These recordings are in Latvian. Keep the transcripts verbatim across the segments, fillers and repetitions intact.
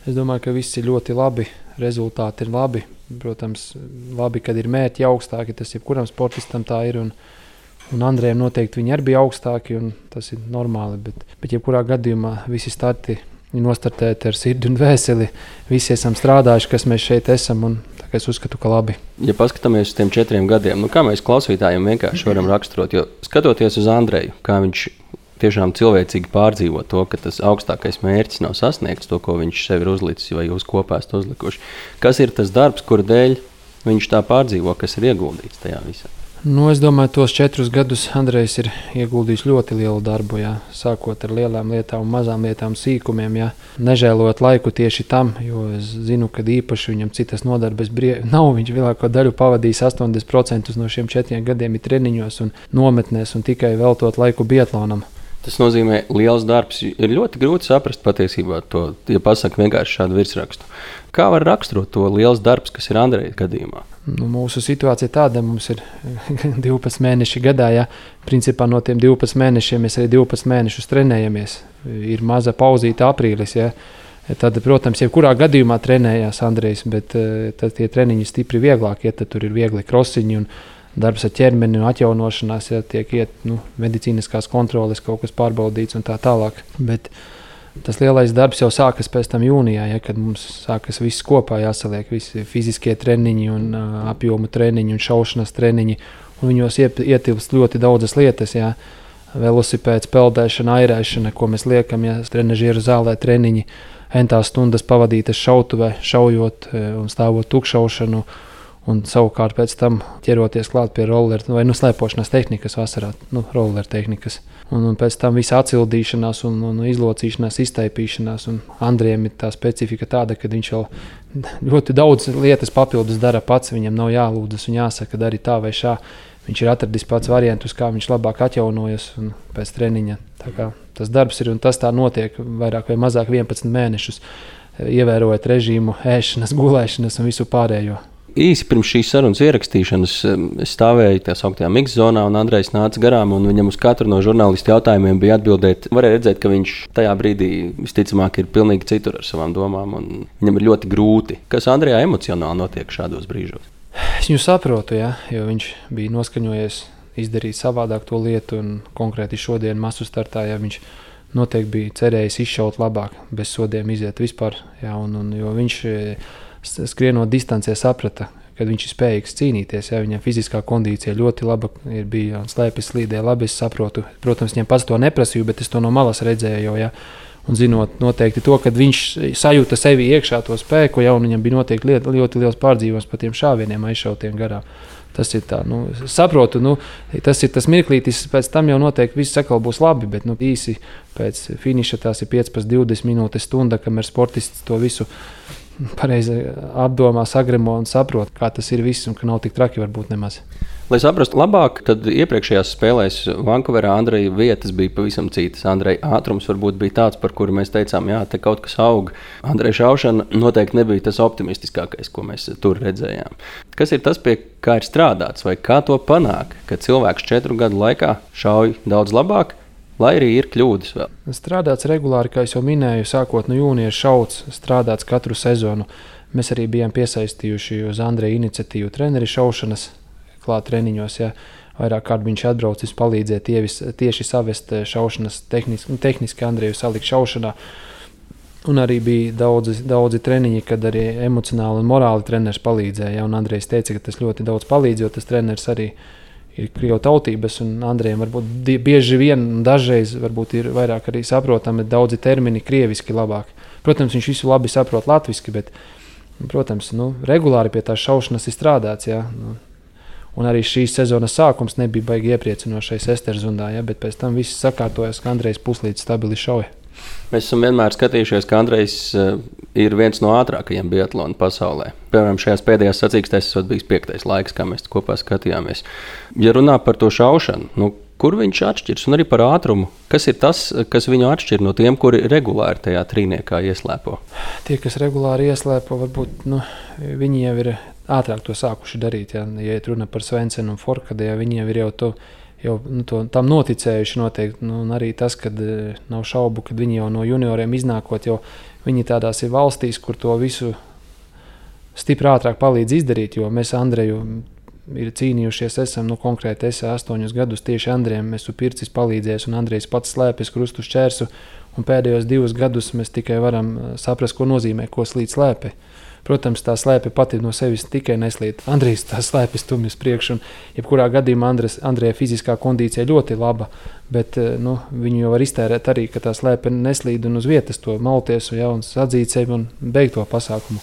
Es domāju, ka viss ir ļoti labi, rezultāti ir labi. Protams, labi, kad ir mērķi augstāki, tas jebkuram sportistam tā ir. Un, un Andrejam noteikti viņi arī bija augstāki, un tas ir normāli. Bet, bet jebkurā gadījumā visi starti ir nostartēti ar sirdi un vēseli. Visi esam strādājuši, kas mēs šeit esam, un tā kā es uzskatu, ka labi. Ja paskatāmies uz tiem četriem gadiem, nu kā mēs klausītājiem vienkārši varam raksturot, jo skatoties uz Andreju, kā viņš tiešām cilvēcīgi pārdzīvo to, ka tas augstākais mērķis nav sasniegts, to, ko viņš sev ir uzlicis vai jūs kopā esat uzlikuši. Kas ir tas darbs, kura dēļ viņš tā pārdzīvo, kas ir ieguldīts tajā visā? Nu, es domāju, tos četrus gadus Andrejs ir ieguldījis ļoti lielu darbu, jā. Sākot ar lielām lietām, mazām lietām, sīkumiem, jā. Nežēlot laiku tieši tam, jo es zinu, ka īpaši viņam citas nodarbes brievi nav. Viņš lielāko daļu pavadījis astoņdesmit procenti no šiem četriem gadiem ir treniņos un nometnēs un tikai veltot laiku biatlonam. Tas nozīmē, liels darbs. Ir ļoti grūti saprast patiesībā to, ja pasaka vienkārši šādu virsrakstu. Kā var raksturot to liels darbs, kas ir Andreja gadījumā? Nu, mūsu situācija tāda, mums ir divpadsmit mēneši gadā. Ja? Principā no tiem divpadsmit mēnešiem mēs arī divpadsmit mēnešus trenējamies. Ir maza pauzīta aprīlis. Ja? Tad, protams, jebkurā gadījumā trenējās Andrejs, bet tad tie treniņi stipri vieglāk. Ja? Tad tur ir viegli krosiņi un darbs ar ķermeni un atjaunošanās, ja tiek iet nu, medicīniskās kontroles, kaut kas pārbaudīts un tā tālāk. Bet tas lielais darbs jau sākas pēc tam jūnijā, ja, kad mums sākas viss kopā jāsaliek, visi fiziskie treniņi un uh, apjomu treniņi un šaušanas treniņi. Un viņos ietilpst ļoti daudzas lietas, ja, velosipēds, peldēšana, airēšana, ko mēs liekam, ja, trenažieru zālē treniņi, entās stundas pavadītas šautuvē, šaujot un stāvot tukšaušanu. Un savukārt pēc tam ķeroties klāt pie roller vai nu, slēpošanas tehnikas vasarā, nu, roller tehnikas. Un, un pēc tam visa atcildīšanās un, un izlocīšanās, iztaipīšanās. Un Andrejam ir tā specifika tāda, ka viņš vēl ļoti daudz lietas papildus dara pats. Viņam nav jālūdzas un jāsaka, dari tā vai šā. Viņš ir atradis pats variantus, kā viņš labāk atjaunojas un pēc treniņa. Tā kā tas darbs ir un tas tā notiek vairāk vai mazāk vienpadsmit mēnešus, ievērojot režīmu, ēšanas, gulēšanas un visu pārējo. Īsi pirms šīs sarunas ierakstīšanas es stāvēju tajā sauktajā mix-zonā, un Andrejs nāca garām, un viņam uz katru no žurnālistu jautājumiem bija atbildēt. Varēja redzēt, ka viņš tajā brīdī visticamāk ir pilnīgi citur ar savām domām, un viņam ir ļoti grūti. Kas Andrejā emocionāli notiek šādos brīžos? Es viņu saprotu, ja, jo viņš bija noskaņojies izdarīt savādāk to lietu, un konkrēti šodien masu startā, ja viņš noteikti bija cerējis izšaut labāk, bez sodiem iziet vispār, ja, un, un, jo viņš skrienot distancē saprata, kad viņš ir spējīgs cīnīties. Ja, viņam fiziskā kondīcija ļoti laba ir bija un slēpes slīdē labi, es saprotu. Protams, viņam pats to neprasīju, bet es to no malas redzēju jau, ja. Un zinot noteikti to, kad viņš sajūta sevi iekšā to spēku, ja, un viņam bija noteikti liet, ļoti liels pārdzīvums par tiem šāvieniem aizšautiem garām. Tas ir tā, nu, saprotu, nu, tas ir tas mirklītis, pēc tam jau noteikti viss sakal būs labi, bet nu, īsi pēc finiša tās ir piecpadsmit divdesmit minūtes stunda, kamēr sportists to visu pareizi apdomā, sagremo un saprot, kā tas ir viss un ka nav tik traki varbūt nemaz. Lai saprastu labāk, tad iepriekšējās spēlēs Vankūverā Andreja vietas bija pavisam citas. Andreja ātrums varbūt bija tāds, par kuru mēs teicām, jā, te kaut kas aug. Andreja šaušana noteikti nebija tas optimistiskākais, ko mēs tur redzējām. Kas ir tas, pie kā ir strādāts vai kā to panāk, ka cilvēks četru gadu laikā šauj daudz labāk, lai arī ir kļūdas vēl? Strādāts regulāri, kā es jau minēju, sākot no jūnija šauts, strādāts katru sezonu. Mēs arī bijām piesaistījuši uz Andreja iniciatīvu treneri šaušanas klāt treniņos. Ja. Vairāk kārt viņš atbraucis palīdzēt ievis, tieši savest šaušanas tehniski, tehniski Andreju salikt šaušanā. Un arī bija daudzi, daudzi treniņi, kad arī emocionāli un morāli treneris palīdzēja. Ja. Un Andrejs teica, ka tas ļoti daudz palīdz, jo tas treneris arī ir krievu tautības, un Andrejam varbūt bieži vien, dažreiz varbūt ir vairāk arī saprotami daudzi termini krieviski labāk. Protams, viņš visu labi saprot latviski, bet, protams, nu, regulāri pie tās šaušanas ir strādāts, jā. Nu, un arī šīs sezonas sākums nebija baigi iepriecinošais Esterzundā, jā, bet pēc tam viss sakārtojas, ka Andrejs puslīdz stabili šauja. Mēs esam vienmēr skatījušies, ka Andrejs uh, ir viens no ātrākajiem biatlonu pasaulē. Piemēram, šajās pēdējās sacīkstēs esot bijis piektais laiks, kā mēs kopā skatījāmies. Ja runā par to šaušanu, nu, kur viņš atšķirs un arī par ātrumu? Kas ir tas, kas viņu atšķir no tiem, kuri regulāri tajā trīniekā ieslēpo? Tie, kas regulāri ieslēpo, varbūt nu, viņi jau ir ātrāk to sākuši darīt. Ja, ja runa par Svensenu un Forkadu, ja viņi jau ir jau to jau nu, to, tam noticējuši noteikti. Nu, un arī tas, ka nav šaubu, kad viņi jau no junioriem iznākot, jau viņi tādās ir valstīs, kur to visu stipri ātrāk palīdz izdarīt, jo mēs Andreju ir cīnījušies, esam, nu konkrēti es astoņus gadus tieši Andrejam, mēs esmu pircis palīdzējis, un Andrejs pats slēpjas krustu šķērsu, un pēdējos divus gadus mēs tikai varam saprast, ko nozīmē, ko slīd slēpi. Protams, tā slēpe pati no sevis tikai neslīd. Andrejs tā slēpes stumj uz priekšu, un jebkurā gadījumā Andres, Andreja fiziskā kondīcija ļoti laba, bet nu, viņu jau var iztērēt arī, ka tā slēpe neslīd un uz vietas to malties un, ja, un sadzīt sevi un beigt to pasākumu.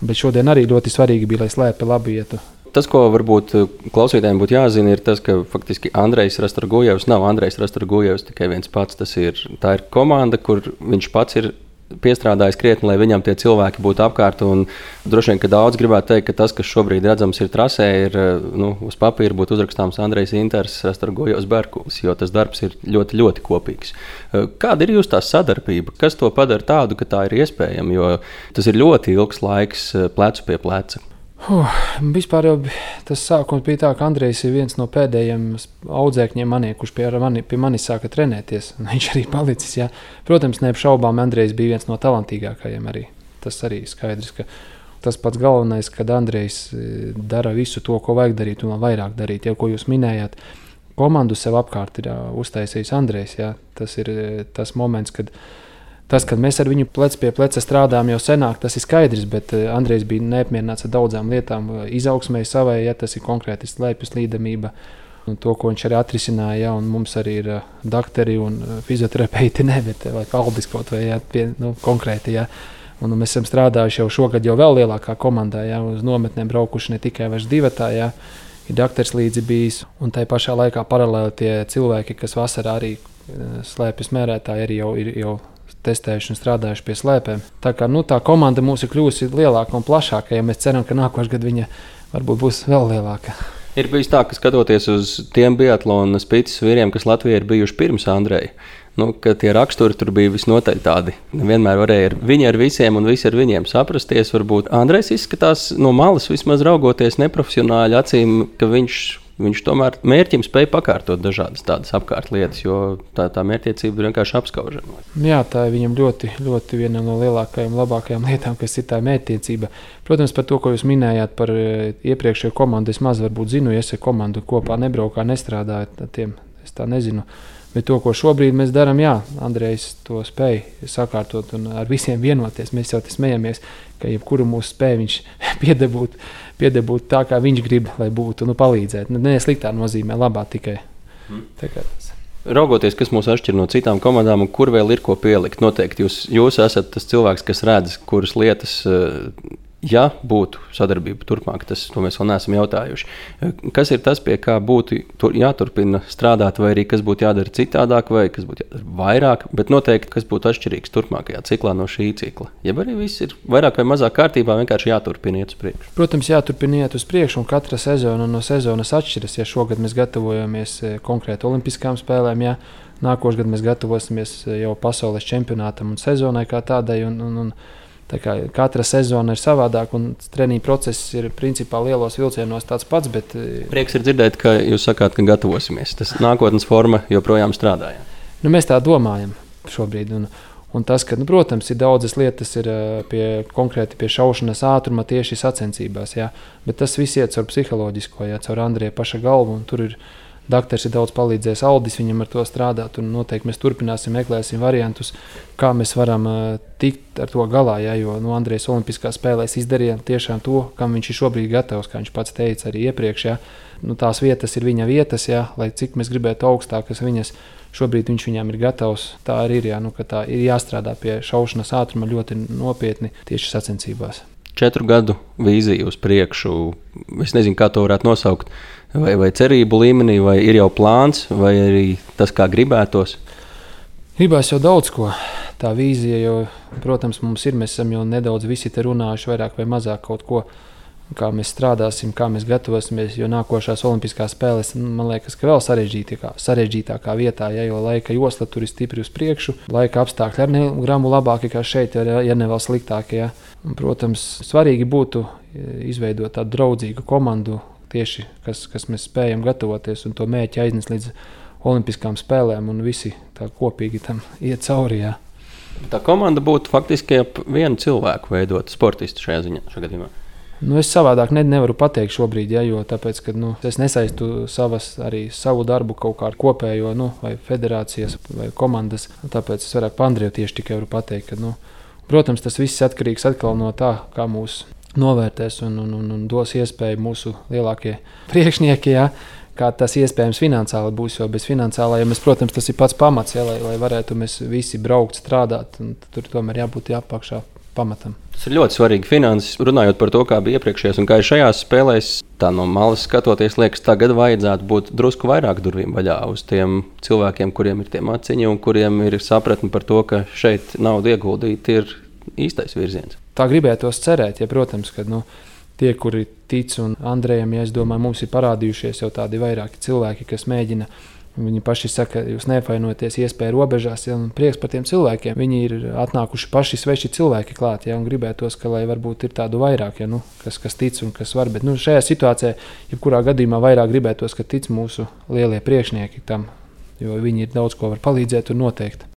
Bet šodien arī ļoti svarīgi bija, lai slēpe labi ietu. Tas, ko varbūt klausītājiem būtu jāzina, ir tas, ka faktiski Andrejs Rastorgujevs nav Andrejs Rastorgujevs tikai viens pats. Tas ir, tā ir komanda, kur viņš pats ir piestrādājis krietni, lai viņam tie cilvēki būtu apkārt. Un droši vien, ka daudz gribētu teikt, ka tas, kas šobrīd redzams ir trasē, ir nu, uz papīra būtu uzrakstāms Andrejs Inters Rastorgujevs Berkulis, jo tas darbs ir ļoti, ļoti kopīgs. Kāda ir jūsu tā sadarbība? Kas to padara tādu, ka tā ir iespējama? Jo tas ir ļoti ilgs laiks plecu pie pleca. Uh, vispār jau tas sākums bija tā, ka Andrejs ir viens no pēdējiem audzēkņiem manī, kurš pie mani, pie manis sāka trenēties. Viņš arī palicis, jā. Protams, neapšaubām Andrejs bija viens no talantīgākajiem arī. Tas arī skaidrs, ka tas pats galvenais, kad Andrejs dara visu to, ko vajag darīt un vairāk darīt. Jau, ko jūs minējāt, komandu sev apkārt ir uztaisījis Andrejs, jā. Tas ir tas moments, kad Tas, kad mēs ar viņu plec pie pleca strādājam jau senāk, tas ir skaidrs, bet Andrejs bija neapmierināts ar daudzām lietām. Izaugsmē savai, ja tas ir konkrēti slēpjas līdamība, un to, ko viņš arī atrisināja, ja, un mums arī ir dakteri un fizioterapeiti, ne, bet vai Aldis kaut vai, ja, pie, nu, konkrēti, ja. Un mēs esam strādājuši jau šogad jau vēl lielākā komandā, ja, uz nometnēm braukuši ne tikai vairs divatā, ja, ir dakteris līdzi bijis, un tai pašā laikā paralēli tie cilvēki, kas vasarā arī slēpjas mērētāji, arī jau ir jau testējuši un strādājuši pie slēpēm. Tā kā nu, tā komanda mums ir kļuvusi lielāka un plašāka, ja mēs ceram, ka nākošais gads viņa varbūt būs vēl lielāka. Ir bijis tā, ka skatoties uz tiem biatlona spīces vīriem, kas Latvijā ir bijuši pirms Andreja, nu, ka tie raksturi tur bija visnotaļ tādi. Vienmēr varēja ar viņi ar visiem un visi ar viņiem saprasties. Varbūt Andrejs izskatās no malas vismaz raugoties neprofesionāļi acīm, ka viņš Viņš tomēr mērķim spēja pakārtot dažādas tādas apkārt lietas, jo tā, tā mērķtiecība ir vienkārši apskaužama. Jā, tā ir viņam ļoti, ļoti viena no lielākajām, labākajām lietām, kas ir tā mērķtiecība. Protams, par to, ko jūs minējāt par iepriekšējo komandu, es maz varbūt zinu, ja es ar komandu kopā nebraukā, nestrādāju, tiem es tā nezinu. Bet to, ko šobrīd mēs darām, jā, Andrejs to spēja sakārtot un ar visiem vienoties. Mēs jau te smejamies, ka jebkuru mūsu spēju viņš piedebūt, piedebūt tā, kā viņš grib, lai būtu, nu, palīdzēt. Ne sliktā nozīmē, labā tikai. Hmm. Raugoties, kas mūs atšķir no citām komandām un kur vēl ir ko pielikt, noteikti jūs, jūs esat tas cilvēks, kas redz, kuras lietas, ja būtu sadarbība turpmāk, tas to mēs vēl neesam jautājuši. Kas ir tas, pie kā būtu jāturpina strādāt, vai arī kas būtu jādara citādāk, vai kas būtu jādara vairāk, bet noteikti, kas būtu atšķirīgs turpmākajā ciklā no šī cikla? Ja arī viss ir vairāk vai mazāk kārtībā, vienkārši jāturpina iet uz priekšu. Protams, jāturpina iet uz priekšu, un katra sezona no sezonas atšķiras. Ja šogad mēs gatavojamies konkrēti olimpiskām spēlēm, ja nākošais gadu mēs gatavosimies jau pasaules čempionātam un sezonai kā tādai, un, un, un tā kā katra sezona ir savādāk, un treniņu process ir principā lielos vilcienos tāds pats, bet... Prieks ir dzirdēt, ka jūs sakāt, ka gatavosimies. Tas nākotnes forma joprojām strādāja. Nu, mēs tā domājam šobrīd, un, un tas, ka, nu, protams, ir daudzas lietas ir pie, konkrēti pie šaušanas ātruma tieši sacensībās, jā, bet tas viss iet caur psiholoģisko, jā, caur Andreja paša galvu, un tur ir dakteris ir daudz palīdzējis, Aldis viņam ar to strādāt, un noteikti mēs turpināsim, meklēsim variantus, kā mēs varam uh, tikt ar to galā, ja, jo nu, Andrejs olimpiskās spēlēs izdarīja tiešām to, kam viņš ir šobrīd gatavs, kā viņš pats teica arī iepriekš, ja. Nu, tās vietas ir viņa vietas, ja, lai cik mēs gribētu augstākas viņas, šobrīd viņš viņām ir gatavs, tā arī ir, ja, nu, ka tā ir jāstrādā pie šaušanas ātruma ļoti nopietni tieši sacensībās. Četru gadu vīziju uz priekšu, es nezinu, kā to varētu nosaukt, vai, vai cerību līmenī, vai ir jau plāns, vai arī tas, kā gribētos? Gribās jau daudz ko. Tā vīzija jau, protams, mums ir, mēs esam jau nedaudz visi te runājuši vairāk vai mazāk kaut ko, kā mēs strādāsim, kā mēs gatavosimies, jo nākošās olimpiskās spēles, man liekas, ka vēl sarežģītākā, sarežģītākā vietā, ja, jo laika josla tur ir stipri uz priekšu, laika apstākļi ar ne gramu labāki kā šeit, ja ne vēl sliktāki. Ja. Un, protams, svarīgi būtu izveidot tādu draudzīgu komandu, tieši, kas, kas mēs spējam gatavoties un to mērķi aiznest līdz olimpiskām spēlēm un visi tā kopīgi tam iet cauri. Jā. Tā komanda būtu faktiski ap vienu cilvēku veidot sportistu šajā ziņā, šajā gadījumā. Nu, es savādāk ne, nevaru pateikt šobrīd, ja, jo tāpēc, ka, nu, es nesaistu savas, arī savu darbu kaut kā ar kopējo, nu, vai federācijas, vai komandas. Tāpēc es vairāk par Andreju tieši tikai varu pateikt, ka, nu, protams, tas viss atkarīgs atkal no tā, kā mūs novērtēs un, un, un, un dos iespēju mūsu lielākie priekšnieki, ja, kā tas iespējams finansiāli būs, jo bez finansiālajiem, ja protams, tas ir pats pamats, ja, lai, lai varētu mēs visi braukt, strādāt, un tur tomēr jābūt jāapakšā pamatam. Tas ir ļoti svarīgi finanses. Runājot par to, kā bija iepriekšējās un kā ir šajās spēlēs, tā no malas skatoties, liekas, tagad vajadzētu būt drusku vairāk durvīm vaļā uz tiem cilvēkiem, kuriem ir tie maciņi un kuriem ir sapratni par to, ka šeit naudu ieguldīt ir īstais virziens. Tā gribētos cerēt, ja, protams, ka nu, tie, kuri tic un Andrejam, ja es domāju, mums ir parādījušies jau tādi vairāki cilvēki, kas mēģina. Viņi paši saka, jūs neapvainojaties iespēju robežās, ja, un prieks par tiem cilvēkiem. Viņi ir atnākuši paši sveši cilvēki klāt, ja, un gribētos, ka lai varbūt ir tādu vairāk, ja, nu, kas, kas tic un kas var. Bet nu, šajā situācijā, jebkurā gadījumā vairāk gribētos, ka tic mūsu lielie priekšnieki tam, jo viņi ir daudz ko var palīdzēt un noteikt.